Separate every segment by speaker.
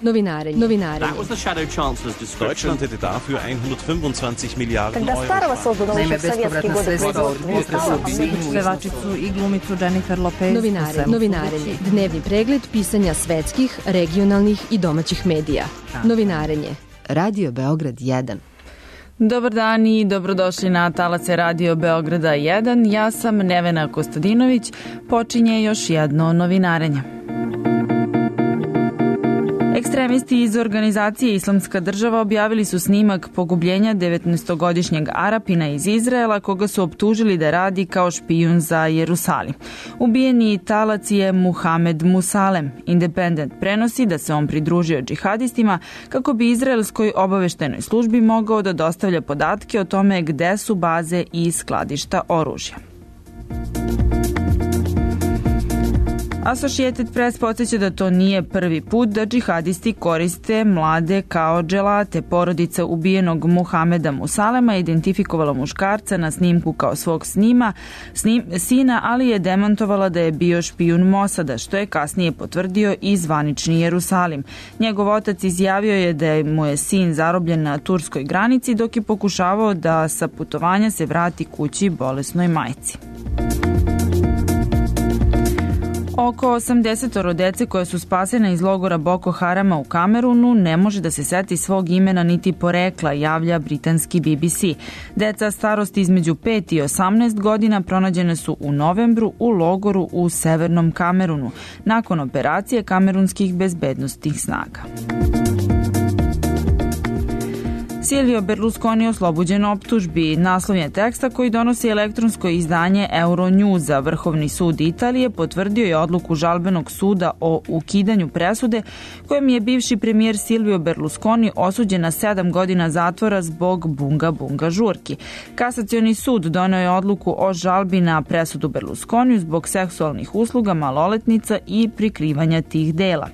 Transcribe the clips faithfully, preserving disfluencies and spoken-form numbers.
Speaker 1: Novinarenje. Novinarenje.
Speaker 2: Deutschland hätte dafür hundertfünfundzwanzig Miliarden
Speaker 3: Когда старого создан
Speaker 4: Naime,
Speaker 3: еще в советские
Speaker 4: bespovratna
Speaker 3: годы
Speaker 4: sredstva od
Speaker 3: производства
Speaker 4: potresa u visini
Speaker 5: Pevačicu i glumicu Jennifer Lopez.
Speaker 1: Novinarenje. Novinarenje. Dnevni pregled pisanja svetskih, regionalnih i domaćih medija. Novinarenje.
Speaker 6: Radio Beograd jedan.
Speaker 5: Dobar dan i dobrodošli na talace Radio Beograda jedan. Ja sam Nevena Kostadinović. Počinje još jedno novinarenje. Ekstremisti iz organizacije Islamska država objavili su snimak pogubljenja devetnaestogodišnjeg Arapina iz Izraela, koga su optužili da radi kao špijun za Jerusalim. Ubijeni talac je Muhamed Musalem. Independent prenosi da se on pridružio džihadistima kako bi izraelskoj obaveštajnoj službi mogao da dostavlja podatke o tome gde su baze i skladišta oružja. Associated Press podsjeća da to nije prvi put da džihadisti koriste mlade kao dželate. Porodica ubijenog Muhameda Musalema je identifikovala muškarca na snimku kao svog snima, snim, sina, ali je demantovala da je bio špijun Mosada, što je kasnije potvrdio i zvanični Jerusalim. Njegov otac izjavio je da mu je sin zarobljen na turskoj granici dok je pokušavao da sa putovanja se vrati kući bolesnoj majci. Oko osamdesetoro dece koje su spasene iz logora Boko Harama u Kamerunu ne može da se seti svog imena niti porekla, javlja britanski B B C. Deca starosti između pet i osamnaest godina pronađene su u novembru u logoru u severnom Kamerunu, nakon operacije kamerunskih bezbednostnih snaga. Silvio Berlusconi oslobođen optužbi. Naslov je teksta koji donosi elektronsko izdanje Euronewsa. Vrhovni sud Italije potvrdio je odluku žalbenog suda o ukidanju presude kojem je bivši premijer Silvio Berlusconi osuđen na sedam godina zatvora zbog bunga bunga žurki. Kasacioni sud doneo je odluku o žalbi na presudu Berlusconiju zbog seksualnih usluga maloletnica i prikrivanja tih dela.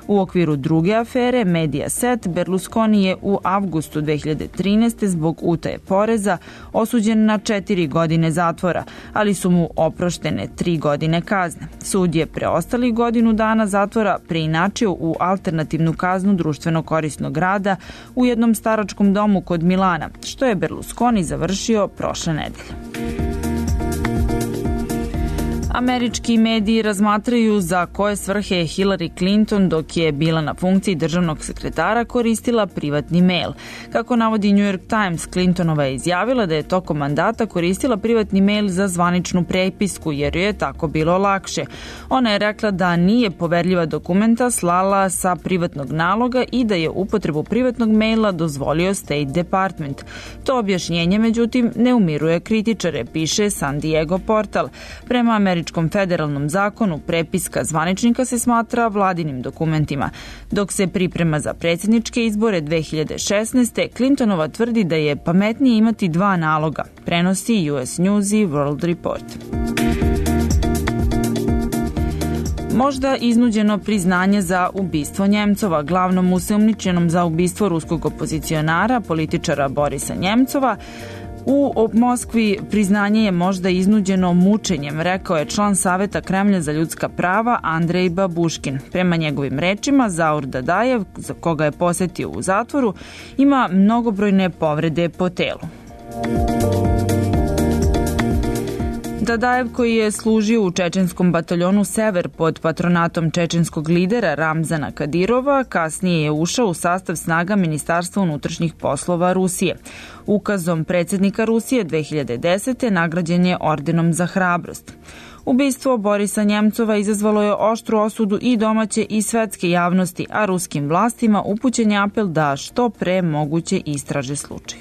Speaker 5: U okviru druge afere, Mediaset, Berlusconi je u avgustu dve hiljade trinaeste. zbog utaje poreza osuđen na četiri godine zatvora, ali su mu oproštene tri godine kazne. Sud je preostali godinu dana zatvora preinačio u alternativnu kaznu društveno korisnog rada u jednom staračkom domu kod Milana, što je Berlusconi završio prošle nedelje. Američki mediji razmatraju za koje svrhe je Hillary Clinton dok je bila na funkciji državnog sekretara koristila privatni mail. Kako navodi New York Times, Clintonova je izjavila da je tokom mandata koristila privatni mail za zvaničnu prepisku jer joj je tako bilo lakše. Ona je rekla da nije poverljiva dokumenta slala sa privatnog naloga i da je upotrebu privatnog maila dozvolio State Department. To objašnjenje, međutim, ne umiruje kritičare, piše San Diego portal. Prema američkom federalnom zakonu prepiska zvaničnika se smatra vladinim dokumentima. Dok se priprema za predsjedničke izbore dve hiljade šesnaeste. Clintonova tvrdi da je pametnije imati dva naloga, prenosi U S News i World Report. Možda iznuđeno priznanje za ubistvo Njemcova. Glavnom osumnjičenom za ubistvo ruskog opozicionara, političara Borisa Njemcova, u Moskvi priznanje je možda iznuđeno mučenjem, rekao je član Saveta Kremlja za ljudska prava Andrej Babuškin. Prema njegovim rečima, Zaur Dadajev, za koga je posetio u zatvoru, ima mnogobrojne povrede po telu. Dadajev, koji je služio u čečenskom bataljonu Sever pod patronatom čečenskog lidera Ramzana Kadirova, kasnije je ušao u sastav snaga Ministarstva unutrašnjih poslova Rusije. Ukazom predsjednika Rusije dve hiljade desete. nagrađen je ordenom za hrabrost. Ubistvo Borisa Njemcova izazvalo je oštru osudu i domaće i svetske javnosti, a ruskim vlastima upućen je apel da što pre moguće istraže slučaj.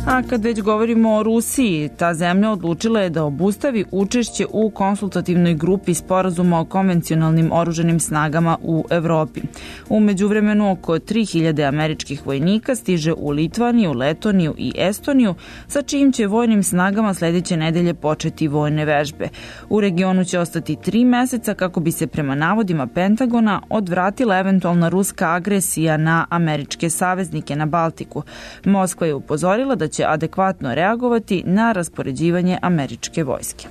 Speaker 5: A kad već govorimo o Rusiji, ta zemlja odlučila je da obustavi učešće u konsultativnoj grupi sporazuma o konvencionalnim oružanim snagama u Evropi. U međuvremenu oko tri hiljade američkih vojnika stiže u Litvaniju, Letoniju i Estoniju, sa čijim će vojnim snagama sledeće nedelje početi vojne vežbe. U regionu će ostati tri meseca kako bi se prema navodima Pentagona odvratila eventualna ruska agresija na američke saveznike na Baltiku. Moskva je upozorila da će adekvatno reagovati na raspoređivanje američke vojske.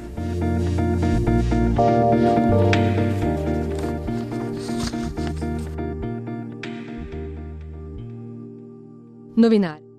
Speaker 1: Novinari.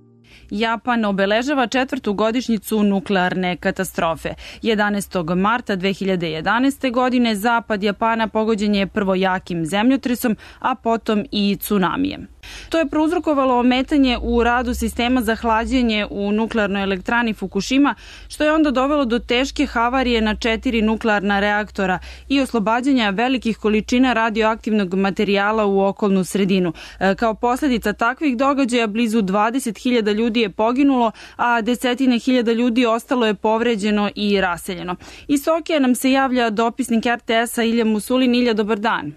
Speaker 5: Japan obeležava četvrtu godišnjicu nuklearne katastrofe. jedanaestog marta dve hiljade jedanaeste. godine zapad Japana pogođen je prvo jakim zemljotresom, a potom i tsunamijem. To je prouzrokovalo ometanje u radu sistema za hlađenje u nuklearnoj elektrani Fukushima, što je onda dovelo do teške havarije na četiri nuklearna reaktora i oslobađanja velikih količina radioaktivnog materijala u okolnu sredinu. Kao posljedica takvih događaja blizu dvadeset hiljada ljudi je poginulo, a desetine hiljada ljudi ostalo je povređeno i raseljeno. Iz Tokija nam se javlja dopisnik er te esa Ilja Musulin. Ilja, dobar dan.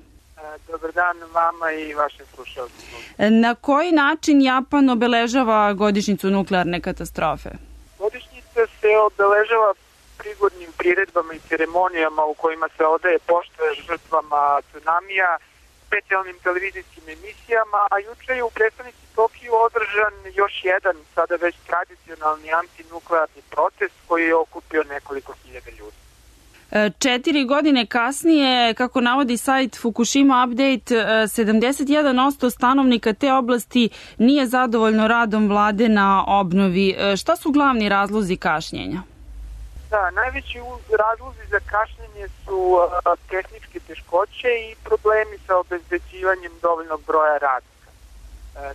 Speaker 3: Dobar dan vama i vašim slušalcima.
Speaker 5: Na koji način Japan obeležava godišnjicu nuklearne katastrofe?
Speaker 3: Godišnjica se obeležava prigodnim priredbama i ceremonijama u kojima se odaje pošta žrtvama tsunamija, specijalnim televizijskim emisijama, a juče je u prestonici Tokiju održan još jedan, sada već tradicionalni antinuklearni protest koji je okupio nekoliko hiljada ljudi.
Speaker 5: Četiri godine kasnije, kako navodi sajt Fukushima Update, sedamdeset jedan posto stanovnika te oblasti nije zadovoljno radom vlade na obnovi. Šta su glavni razlozi kašnjenja?
Speaker 3: Da, najveći razlozi za kašnjenje su tehničke teškoće i problemi sa obezbeđivanjem dovoljnog broja radnika.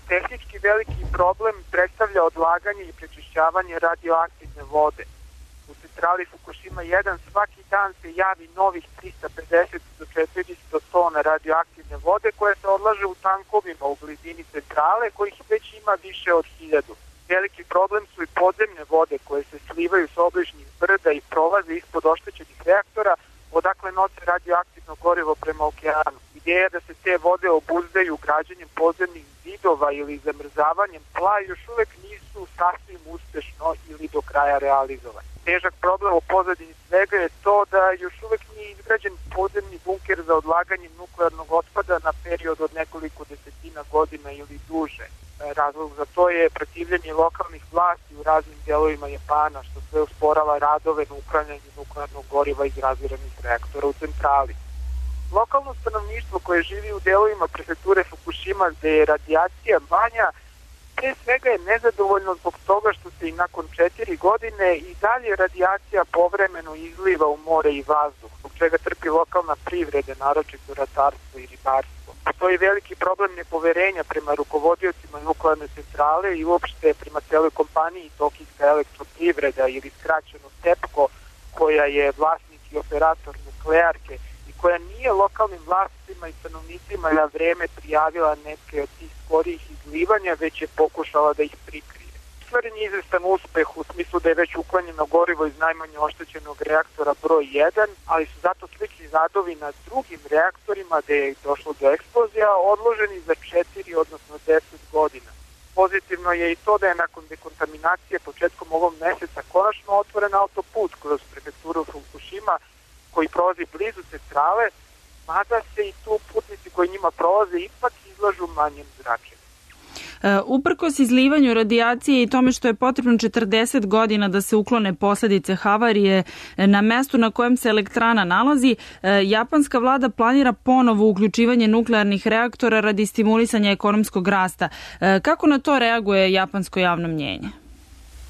Speaker 3: Tehnički veliki problem predstavlja odlaganje i prečišćavanje radioaktivne vode. U centrali Fukushima jedan svaki dan se javi novih trista pedeset do četiristo tona radioaktivne vode koje se odlaže u tankovima u blizini centrale, kojih već ima više od hiljadu. Veliki problem su i podzemne vode koje se slivaju s obližnjih brda i prolaze ispod oštećenih reaktora, odakle nose radioaktivno gorivo prema okeanu. Ideja da se te vode obuzdaju građenjem podzemnih zidova ili zamrzavanjem tla još uvek nisu sasvim uspešno ili do kraja realizovani. Težak problem u pozadini svega je to da još uvek nije izgrađen podzemni bunker za odlaganje nuklearnog otpada na period od nekoliko desetina godina ili duže. Razlog za to je protivljenje lokalnih vlasti u raznim delovima Japana, što sve usporava radove na uklanjanju nuklearnog goriva iz razviranih reaktora u centrali. Lokalno stanovništvo koje živi u delovima prefekture Fukushima gde je radijacija manja, pre svega je nezadovoljno zbog toga što se i nakon četiri godine i dalje radijacija povremeno izliva u more i vazduh, zbog čega trpi lokalna privreda, naročito ratarstvo i ribarstvo. Postoji veliki problem nepoverenja prema rukovodiocima nuklearne centrale i uopšte prema celoj kompaniji Tokijska elektroprivreda ili skraćeno TEPCO, koja je vlasnik i operator nuklearke i koja nije lokalnim vlastima i stanovnicima na vreme prijavila neke od tih skorijih izlivanja, već je pokušala da ih prikrije. Ostvaren je izvestan uspeh u smislu da je već uklanjeno gorivo iz najmanje oštećenog reaktora broj jedan, ali su zato slični radovi na drugim reaktorima gde je došlo do eksplozija odloženi za četiri, odnosno deset godina. Pozitivno je i to da je nakon dekontaminacije početkom ovog meseca konačno otvoren autoput kroz prefekturu Fukushima koji prolazi blizu centrale, mada se i tu putnici koji njima prolaze ipak izlažu manjem zračenju.
Speaker 5: Uprkos izlivanju radijacije i tome što je potrebno četrdeset godina da se uklone posljedice havarije na mestu na kojem se elektrana nalazi, japanska vlada planira ponovo uključivanje nuklearnih reaktora radi stimulisanja ekonomskog rasta. Kako na to reaguje japansko javno mnjenje?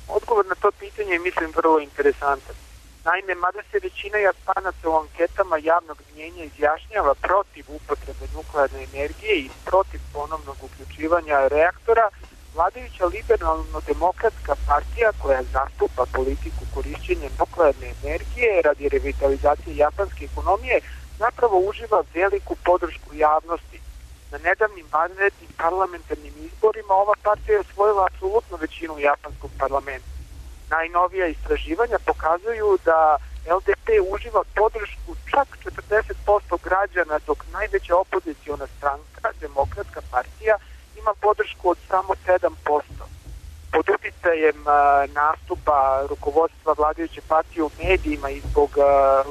Speaker 3: Odgovor na to pitanje je, mislim, vrlo interesantan. Naime, mada se većina Japanaca u anketama javnog mnjenja izjašnjava protiv upotrebe nuklearne energije i protiv ponovnog uključivanja reaktora, vladajuća liberalno-demokratska partija koja zastupa politiku korišćenja nuklearne energije radi revitalizacije japanske ekonomije zapravo uživa veliku podršku javnosti. Na nedavnim vanrednim parlamentarnim izborima ova partija je osvojila apsolutnu većinu u japanskom parlamentu. Najnovija istraživanja pokazuju da el de pe uživa podršku čak četrdeset posto građana, dok najveća opoziciona stranka, Demokratska partija, ima podršku od samo sedam posto. Pod uticajem nastupa rukovodstva vladajuće partije u medijima i zbog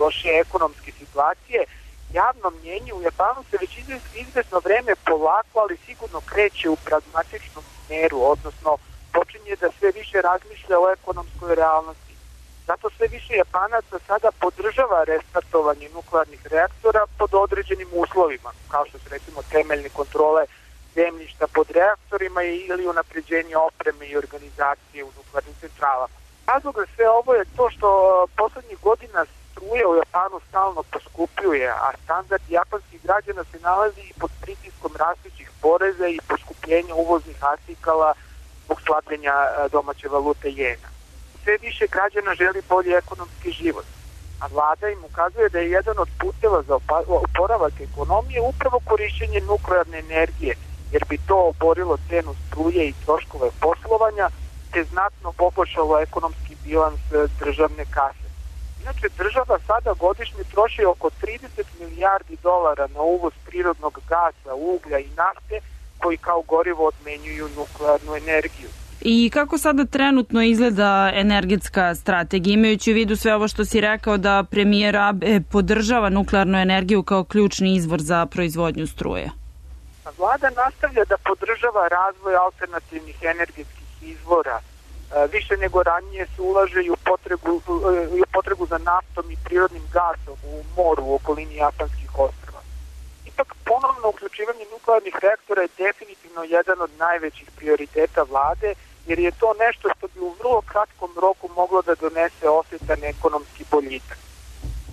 Speaker 3: loše ekonomske situacije, javno mnjenje u Japanu se već izvesno vreme polako, ali sigurno kreće u pragmatičnom smeru, odnosno počinje da sve više razmišlja o ekonomskoj realnosti. Zato sve više Japanaca sada podržava restartovanje nuklearnih reaktora pod određenim uslovima, kao što su recimo temeljne kontrole zemljišta pod reaktorima ili unapređenje opreme i organizacije u nuklearnim centralama. Razlog za sve ovo je to što poslednjih godina struja u Japanu stalno poskupljuje, a standard japanskih građana se nalazi pod pritiskom rastućih poreza i poskupljenja uvoznih artikala zbog slabljenja domaće valute jena. Sve više građana želi bolji ekonomski život, a vlada im ukazuje da je jedan od puteva za oporavak ekonomije upravo korišćenje nuklearne energije, jer bi to oborilo cenu struje i troškove poslovanja, te znatno poboljšalo ekonomski bilans državne kase. Inače, država sada godišnje troši oko trideset milijardi dolara na uvoz prirodnog gasa, uglja i nafte, koji kao gorivo odmenjuju nuklearnu energiju.
Speaker 5: I kako sada trenutno izgleda energetska strategija, imajući u vidu sve ovo što si rekao da premijer Abe podržava nuklearnu energiju kao ključni izvor za proizvodnju struje?
Speaker 3: Vlada nastavlja da podržava razvoj alternativnih energetskih izvora. Više nego ranije se ulaže i u potrebu, i u potrebu za naftom i prirodnim gasom u moru u okolini japanskih ostrva. Ipak ponovno uključivanje nuklearnih reaktora je definitivno jedan od najvećih prioriteta vlade, jer je to nešto što bi u vrlo kratkom roku moglo da donese osjetan ekonomski boljitak.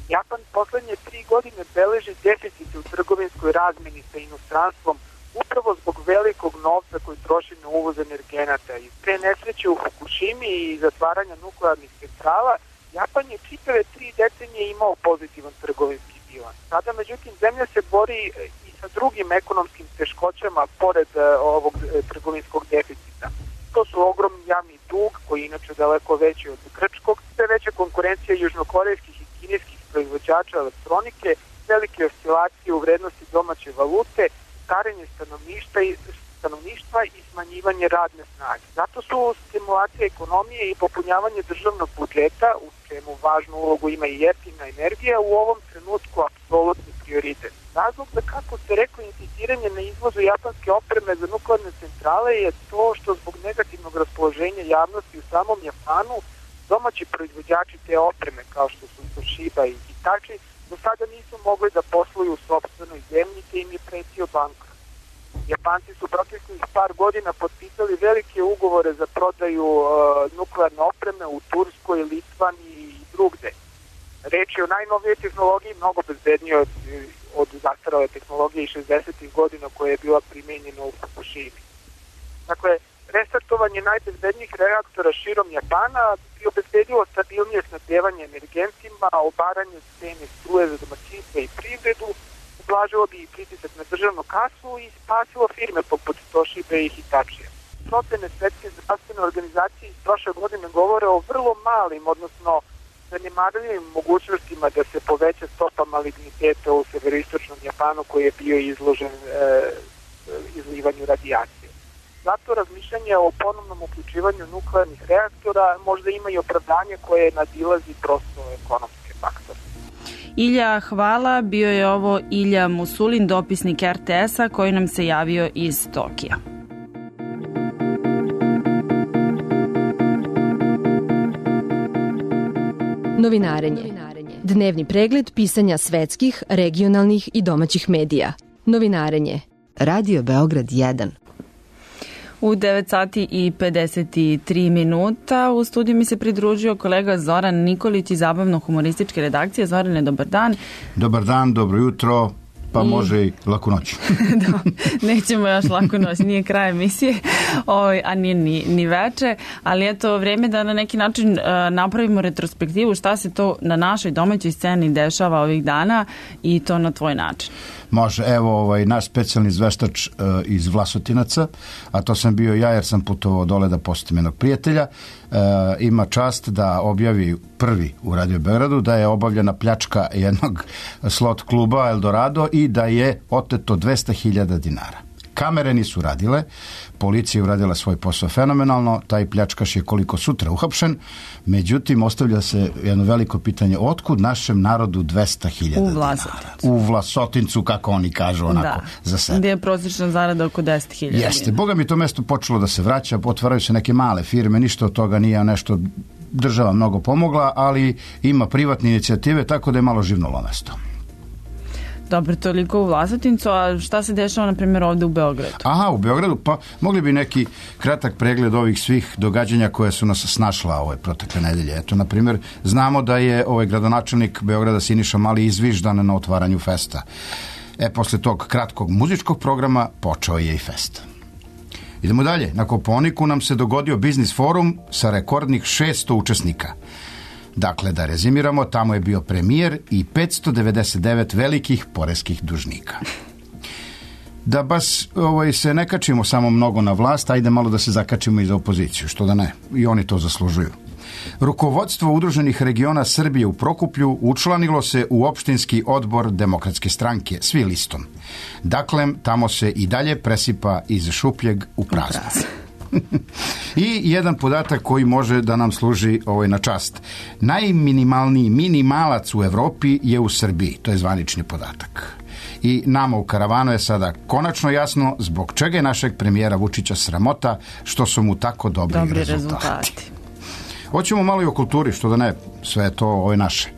Speaker 3: Japan poslednje tri godine beleži deficite u trgovinskoj razmeni sa inostranstvom upravo zbog velikog novca koji troši na uvoz energenata. I pre nesreće u Fukushimi i zatvaranja nuklearnih centrala, Japan je čitave tri decenije imao pozitivan trgovinski bilans. Sada, međutim, zemlja se bori i sa drugim ekonomskim teškoćama pored ovog trgovinskog deficita. To su ogromni javni dug, koji je inače daleko veći od grčkog, sve veća konkurencija južnokorejskih i kineskih proizvođača elektronike, velike oscilacije u vrednosti domaće valute, starenje stanovništva i, stanovništva i smanjivanje radne snage. Zato su stimulacija ekonomije i popunjavanje državnog budžeta, u čemu važnu ulogu ima i jeftina energija, u ovom trenutku apsolutni prioritet. Razlog za, kako se rekao, insistiranje na izvozu japanske opreme za nuklearne centrale je to što zbog negativnog raspoloženja javnosti u samom Japanu domaći proizvođači te opreme, kao što su Toshiba i Hitachi, do sada nisu mogli da posluju u sopstvenoj zemlji, te im je pretio bankrot. Japanci su proteklih par godina potpisali velike ugovore za prodaju uh, nuklearne opreme u Turskoj, Litvaniji i drugde. Reč je o najnovijoj tehnologiji, mnogo bezbednije od, od zastarale tehnologije iz šezdesetih godina koja je bila primenjena u Fukushimi. Dakle, restartovanje najbezbednijih reaktora širom Japana bi obezbedilo stabilnije snabdevanje energentima, obaranje cene struje za domaćinstva i privredu, ublažilo bi i pritisak na državnu kasu i spasilo firme poput Toshibe i Hitachija. Procene Svetske zdravstvene organizacije iz prošle godine govore o vrlo malim, odnosno zanemarljivim mogućnostima da se poveća stopa maligniteta u severoistočnom Japanu koji je bio izložen e, izlivanju radijacije. Zato razmišljanje o ponovnom uključivanju nuklearnih reaktora možda ima i opravdanje koje nadilazi prosto ekonomske faktore.
Speaker 5: Ilja, hvala. Bio je ovo Ilja Musulin, dopisnik er te es-a koji nam se javio iz Tokija.
Speaker 1: Novinarenje. Dnevni pregled pisanja svetskih, regionalnih i domaćih medija. Novinarenje.
Speaker 6: Radio Beograd jedan.
Speaker 5: U devet sati i pedeset tri minuta u studiju mi se pridružio kolega Zoran Nikolić iz zabavno-humorističke redakcije. Zorane, dobar dan.
Speaker 4: Dobar dan, dobro jutro, pa I... može i laku noć.
Speaker 5: Da, nećemo još laku noć, nije kraj emisije, o, a nije ni, ni veče, ali eto vreme da na neki način uh, napravimo retrospektivu šta se to na našoj domaćoj sceni dešava ovih dana i to na tvoj način.
Speaker 4: Može, evo ovaj, naš specijalni izveštač uh, iz Vlasotinaca, a to sam bio ja jer sam putovao dole da posetim jednog prijatelja, uh, ima čast da objavi prvi u Radio Beogradu da je obavljena pljačka jednog slot kluba Eldorado i da je oteto dvesta hiljada dinara. Kamere nisu radile, policija je uradila svoj posao fenomenalno, taj pljačkaš je koliko sutra uhapšen, međutim ostavlja se jedno veliko pitanje, otkud našem narodu dvesta hiljada dinara? U Vlasotincu, kako oni kažu onako da, za sebe.
Speaker 5: Gdje je prosječna zarada oko deset hiljada.
Speaker 4: Jeste, boga mi to mesto počelo da se vraća, otvaraju se neke male firme, ništa od toga nije nešto država mnogo pomogla, ali ima privatne inicijative, tako da je malo živnulo mesto.
Speaker 5: Dobro, toliko u Vlasotincu, a šta se dešava, na primjer, ovde u Beogradu?
Speaker 4: Aha, u Beogradu, pa mogli bi neki kratak pregled ovih svih događanja koje su nas snašla ove protekle nedelje. Eto, na primjer, znamo da je ovaj gradonačelnik Beograda Siniša Mali izviždan na otvaranju festa. E, posle tog kratkog muzičkog programa počeo je i fest. Idemo dalje. Na Kopaoniku nam se dogodio biznis forum sa rekordnih šesto učesnika. Dakle, da rezimiramo, tamo je bio premijer i petsto devedeset devet velikih poreskih dužnika. Da baš ovaj, se ne kačimo samo mnogo na vlast, ajde malo da se zakačimo i za opoziciju, što da ne, i oni to zaslužuju. Rukovodstvo Udruženih regiona Srbije u Prokuplju učlanilo se u opštinski odbor Demokratske stranke, svi listom. Dakle, tamo se i dalje presipa iz šupljeg u prazno. I jedan podatak koji može da nam služi ovaj na čast. Najminimalniji minimalac u Evropi je u Srbiji, to je zvanični podatak. I nama u karavanu je sada konačno jasno zbog čega je našeg premijera Vučića sramota što su mu tako dobri, dobri rezultati. rezultati. Hoćemo malo i o kulturi, što da ne, sve je to ovo naše.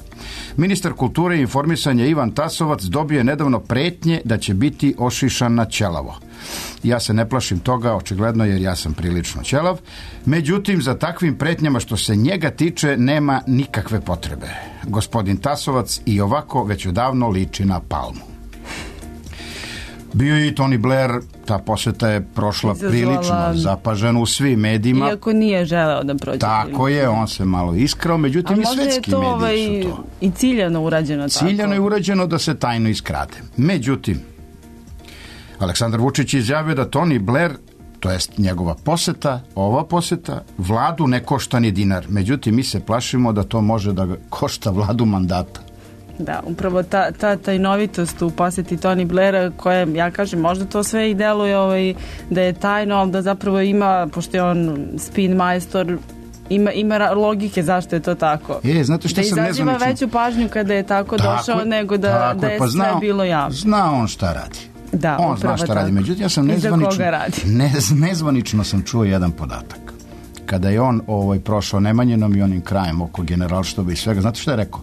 Speaker 4: Ministar kulture i informisanja Ivan Tasovac dobio je nedavno pretnje da će biti ošišan na ćelavo. Ja se ne plašim toga, očigledno, jer ja sam prilično ćelav. Međutim, za takvim pretnjama što se njega tiče nema nikakve potrebe. Gospodin Tasovac i ovako već odavno liči na Palmu. Bio je i Tony Blair, ta poseta je prošla Izazvala... prilično zapažena u svim medijima.
Speaker 5: Iako nije želeo da prođe.
Speaker 4: Tako je, on se malo iskrao, međutim i svetski mediji ovaj, su to.
Speaker 5: I ciljano urađeno tako.
Speaker 4: Ciljano je urađeno da se tajno iskrade. Međutim, Aleksandar Vučić je izjavio da Tony Blair, to jest njegova poseta, ova poseta, vladu ne košta ni dinar. Međutim, mi se plašimo da to može da košta vladu mandata.
Speaker 5: Da, upravo ta, ta tajnovitost u poseti Tony Blaira, koja, ja kažem, možda to sve i deluje ovaj, da je tajno, ali da zapravo ima, pošto je on spin majstor, ima, ima logike zašto je to tako.
Speaker 4: E, znate što
Speaker 5: da
Speaker 4: sam nezvanično...
Speaker 5: Da izaziva veću pažnju kada je tako, tako došao, nego da, da je pa sve zna, bilo javno.
Speaker 4: Zna on šta radi.
Speaker 5: Da,
Speaker 4: on zna šta tako. radi. Međutim, ja sam nezvanično, ne, nezvanično sam čuo jedan podatak. Kada je on ovaj, prošao Nemanjinom i onim krajem oko generalštaba i svega, znate šta je rekao?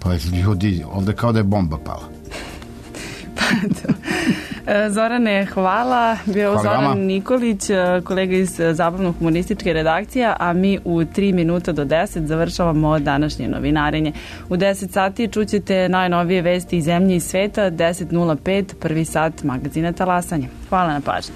Speaker 4: Pa ljudi, ovde kao da je bomba pala.
Speaker 5: Pa to. Zorane, hvala. Bio hvala Zoran vama. Nikolić, kolega iz Zabavno-humorističke redakcije, a mi u tri minuta do deset završavamo današnje novinarenje. U deset sati čućete najnovije vesti iz zemlje i sveta, deset nula pet, prvi sat magazina Talasanje. Hvala na pažnji.